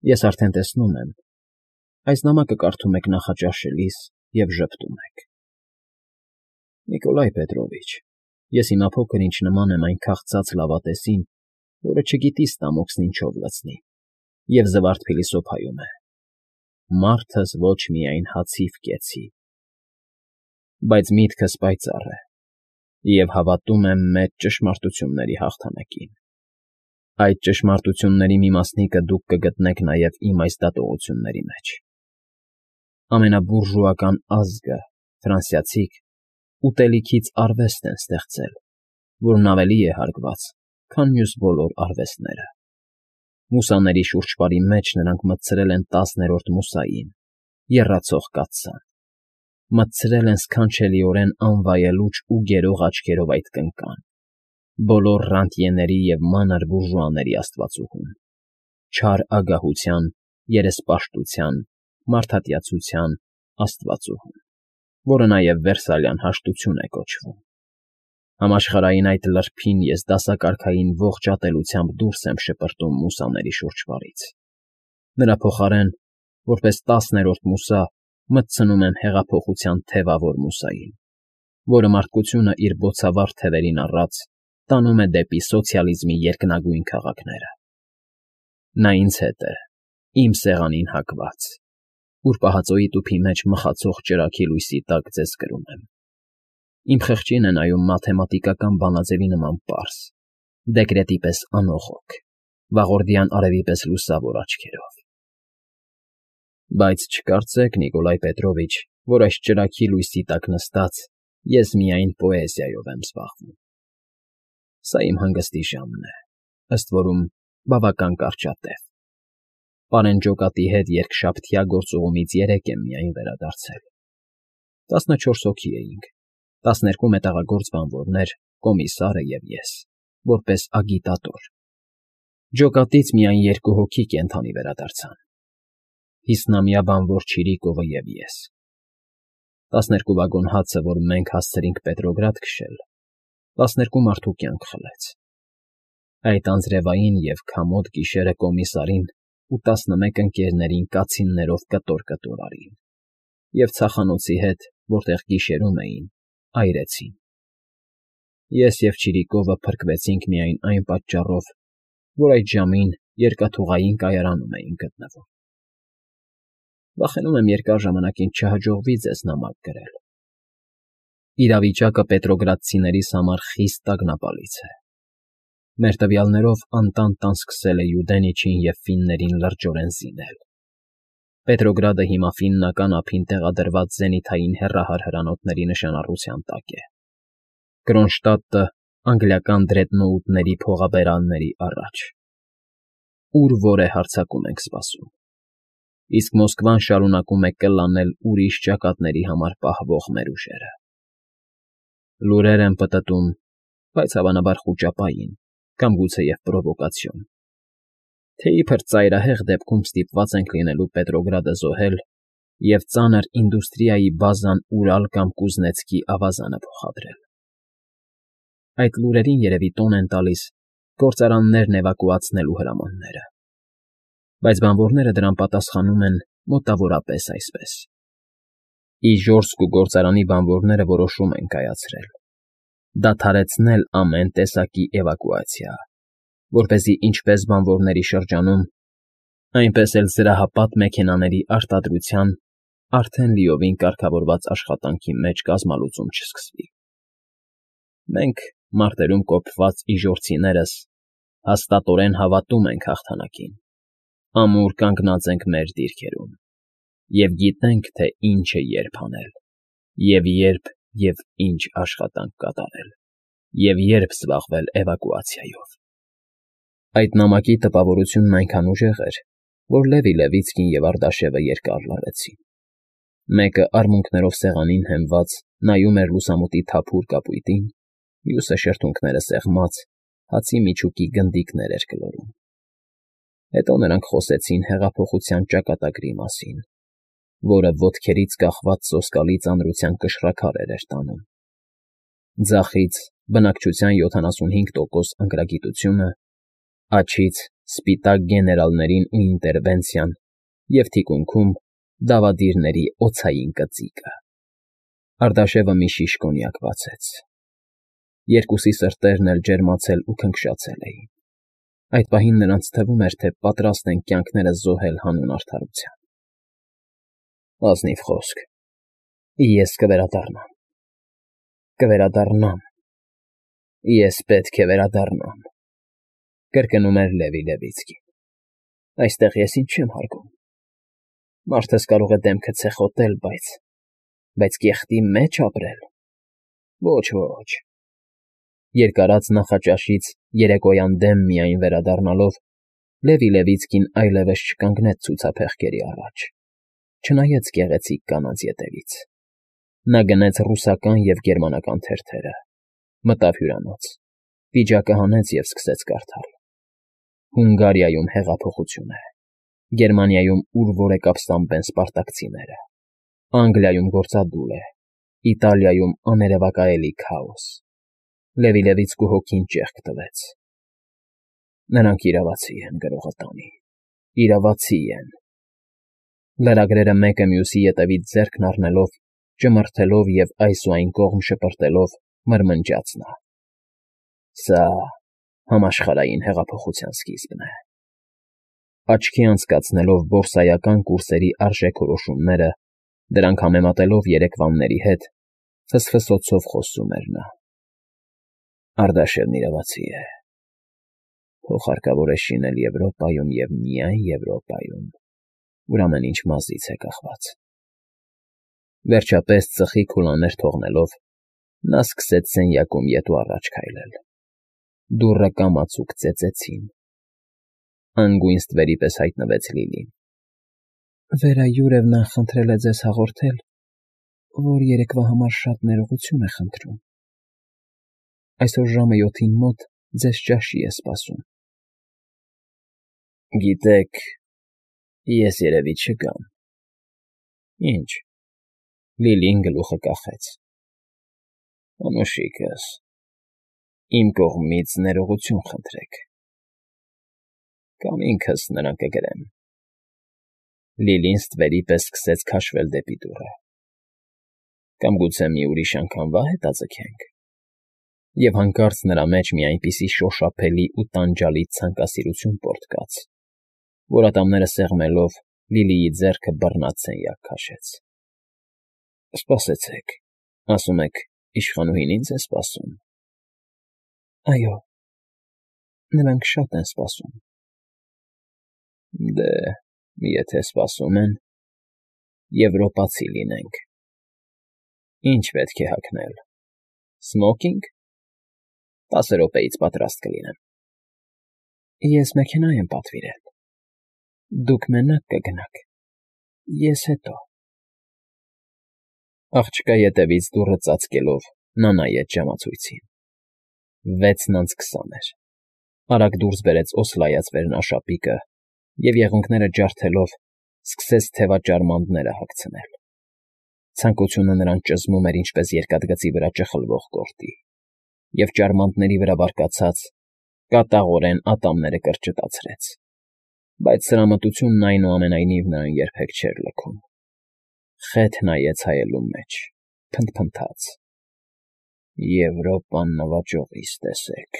Ես արդեն տեսնում եմ, այս նամակը կարդում եք նախաճաշելիս և ժպտում եք։ Նիկոլայ Պետրովիչ, ես հիմա փոքր-ինչ նման եմ այն քաղցած լավատեսին, որը չգիտի ստամոքսն ինչով լցնի և զվարթ փիլիսոփայում է. մարդս ոչ միայն հացիվ կեցի, բայց միտքս պայծառ է և հավատում եմ մեծ ճշմարտությունների հաղթանակին։ Այդ ճշմարտությունների մի մասնիկը դուք կգտնեք նաև իմ այս դատողությունների մեջ։ Ամենաբուրժուական ազգը, ֆրանսիացիք, ուտելիքից արվեստ են ստեղծել, որն ավելի է հարգված, քան մյուս բոլոր արվեստները։ Մուսաների շուրջպարի մեջ նրանք մտցրել են 10-րդ մուսային, եռացող կաթսան, մտցրել են սքանչելիորեն անվայելուչ ու գերող աչքերով այդ կնկան, բոլոր ռանտյեների և մանր բուրժուաների աստվածուհուն, չար ագահության, երեսպաշտության, մարդատյացության աստվածուհուն, որը նաև Վերսալյան հաշտություն է կոչվում։ Համաշխարհային այդ լրփին ես դասակարգային ողջ ատելությամբ դուրս եմ շպրտում մուսաների շուրջպարից։ Նրա փոխարեն, որպես 10-րդ մուսա, մտցնում եմ հեղափոխության թևավոր մուսային, որը մարդկությունը իր բոցավառ թևերին առած տանում է դեպի սոցիալիզմի երկնագույն քաղաքները։ Նա ինձ հետ է, իմ սեղանին հակված, ուր պահածոյի տուփի մեջ մխացող ճրագի լույսի տակ ձեզ կրում եմ։ Իմ խղճին է նայում մաթեմատիկական բանաձևի նման պարզ, դեկրետի պես անողոք, վաղորդյան արևի պես լուսավոր աչքերով։ Բայց չկարծեք, Նիկոլայ Պետրովիչ, որ այս ճրագի լույսի տակ նստած ես միայն պոեզիայով եմ զբաղվում։ Սա իմ հանգստի ժամն է, ըստ որում բավական կարճատև։ Պարեն ջոկատի հետ երկշաբթյա գործուղումից 3 եմ միայն վերադարձել։ 14 հոգի էինք, 12 մետաղագործ բանվորներ, կոմիսարը և ես, որպես ագիտատոր։ Ջոկատից միայն 2 հոգի կենդանի վերադարձան. 50-ամյա բանվոր Չիրիկովը և ես։ 12 վագոն հացը, որ մենք հասցրինք Պետրոգրադ քշել, 12 մարդու կյանք խլեց։ Այդ անձրևային և քամոտ գիշերը կոմիսարին ու 11 ընկերներին կացիններով կտոր արին և ցախանոցի հետ, որտեղ գիշերում էին, այրեցին։ Ես և Չիրիկովը փրկվեցինք միայն այն պատճառով, որ այդ ժամին երկաթուղային կայարանում էինք գտնվում։ Վախենում եմ երկար ժամանակին չհաջողվի ձեզ նամակ գրել։ Իրավիճակը պետրոգրադցիներիս համար խիստ տագնապալից է։ Մեր տվյալներով Անտանտան սկսել է Յուդենիչին և ֆիններին լրջորեն զինել։ Պետրոգրադը հիմա ֆիննական ափին տեղադրված զենիթային հեռահար հրանոթների նշանառության տակ է։ Կրոնշտադտը անգլիական դրեդնոուտների փողաբերանների առաջ։ Ուր որ է հարձակում ենք սպասում։ Իսկ Մոսկվան շարունակում է կլանել ուրիշ ճակատների համար պահվող մեր ուժերը։ Լուրեր եմ պտտում, բայց հավանաբար խուճապային կամ գուցեև պրովոկացիոն, թե իբր ծայրահեղ դեպքում ստիպված ենք լինելու Պետրոգրադը զոհել և ծանր ինդուստրիայի բազանՈւրալ կամ Կուզնեցկի ավազանը փոխադրել։ Այդ լուրերին երևի տոն են տալիս գործարաններն էվակուացնելու հրամանները, բայց բանվորները դրան պատասխանում են մոտավորապես այսպես. Իժորսկ ու գործարանի բանվորները որոշում են կայացրել դադարեցնել ամեն տեսակի էվակուացիա, որպեսզի ինչպես բանվորների շրջանում, այնպես էլ զրահապատ մեքենաների արտադրության արդեն լիովին կարգավորված աշխատանքի մեջ կազմալուծում չսկսվի։ Մենք, մարտերում կոփված իժորցիներս, հաստատորեն հավատում ենք հաղթանակին, ամուր կանգնած ենք մեր դիրքերում և գիտենք, թե ինչ է երբ անել, և երբ և ինչ աշխատանք կատարել, և երբ զբաղվել էվակուացիայով։ Այդ նամակի տպավորությունն այնքան ուժեղ էր, որ Լևի Լևիցկին և Արտաշևը երկար լռեցին։ Մեկը արմունկներով սեղանին հենված նայում էր լուսամուտի թափուր կապույտին, մյուսը շրթունքները սեղմած հացի միջուկի գնդիկներ էր գլորում։ Հետո նրանք խոսեցին հեղափոխության ճակատագրի մասին, որը ոտքերից կախված սոսկալի ծանրության կշռաքարեր էր տանում։ Ձախից բնակչության 75% ընկրագիտությունը, Աջից սպիտակ գեներալներին ու ինտերվենցիան և թիկունքում դավադիրների օձային կծիկը։ Արտաշևը մի շիշ կոնյակ բացեց։ Երկուսի սրտերն էլ ջերմացել ու քնքշացել էին։ Այդ պահին նրանց թվում էր, թե պատրաստ են կյանքներս զոհել հանուն արդարության։ Ազնիվ խոսք։ Ես կվերադառնամ։ Կվերադառնամ։ Ես պետք է վերադառնամ, կրկնում էր Լևի Լևիցկին։ Այստեղ ես ինձ չեմ հարգում։ Մարդս կարող է դեմքը ցեխոտել, բայց կեղտի մեջ ապրել։ Ոչ, ոչ։ Երկարած նախաճաշից երեկոյան դեմ միայն վերադառնալով Լևի Լևիցկին այլևս չկանգնեց ցուցափեղկերի առաջ, չնայեց գեղեցիկ կանանց ետևից։ Նա գնեց ռուսական և գերմանական թերթերը, մտավ հյուրանոց, պիջակը հանեց և սկսեց կարդալ. Հունգարիայում հեղափոխություն է, Գերմանիայում ուր որ է կապստամբեն սպարտակցիները, Անգլիայում գործադուլ է, Իտալիայում աներևակայելի քաոս։ Լևի Լևիցկու հոգին ճեղք տվեց։ Նրանք իրավացի են, գրողը տանի, իրավացի են։ Լրագրերը մեկը մյուսի ետևից ձեռքն առնելով, ճմրթելով և այս ու այն կողմ շպրտելով մրմնջաց նա. Սա համաշխարհային հեղափոխության սկիզբն է։ Աչքի անցկացնելով բորսայական կուրսերի արժեքորոշումները, դրանք համեմատելով երեկվանների հետ, ֆսֆսոցով խոսում էր նա։ Արտաշևն իրավացի է։ Փող հարկավոր է շինել Եվրոպայում և միայն Եվրոպայում, ուր ամեն ինչ մազից է կախված։ Վերջապես ծխի քուլաներ թողնելով, նա սկսեց սենյակում ետ ու առաջ քայլել։ Դուռը կամացուկ ծեծեցին։ Անգույն ստվերի պես հայտնվեց Լիլին։ Վերա Յուրևնան խնդրել է ձեզ հաղորդել, որ երեկվա համար շատ ներողություն է խնդրում։ Այսօր ժամը 7-ին մոտ ձեզ ճաշի է սպասում։ Գիտեք, ես երևի չգամ։ Ինչ։ Լիլին գլուխը կախեց։ Անուշիկս, իմ կողմից ներողություն խնդրեք։ Կամ ինքս նրան կգրեմ։ Լիլին ստվերի պես սկսեց քաշվել դեպի դուռը։ Կամ գուցե մի ուրիշ անգամվա հետաձգենք։ Եվ հանկարծ նրա մեջ մի այնպիսի շոշափելի ու տանջալից ցանկասիրություն պոռթկաց, որ ատամները սեղմելով Լիլիի ձեռքը բռնած սենյակ քաշեց։ Սպասեցեք, ասում եք, իշխանուհին ինձ է սպասում։ Այո, նրանք շատ են սպասում։ Դե, եթե սպասում են, եվրոպացի լինենք։ Ինչ պետք է հագնել։ Սմոքինգ։ 10 րոպեից պատրաստ կլինեմ։ Ես մեքենա եմ պատվիրել։ Դուք մենակ կգնաք, ես հետո։ Աղջկա ետևից դուռը ծածկելով նա նայեց ժամացույցին։ 6:20 էր։ Արագ դուրս բերեց օսլայած վերնաշապիկը և եղունգները ջարդելով սկսեց թևաճարմանդները հագցնել։ Ցանկությունը նրան ճզմում էր ինչպես երկաթգծի վրա ճխլվող գորտի, և ճարմանդների վրա բարկացած կատաղորեն ատամները կրճտացրեց, բայց սրամտությունն այնուամենայնիվ նրան երբեք չէր լքում։ Խեթ նայեց հայելուն մեջ, փնթփնթաց. Եվրոպան նվաճողիս տեսեք։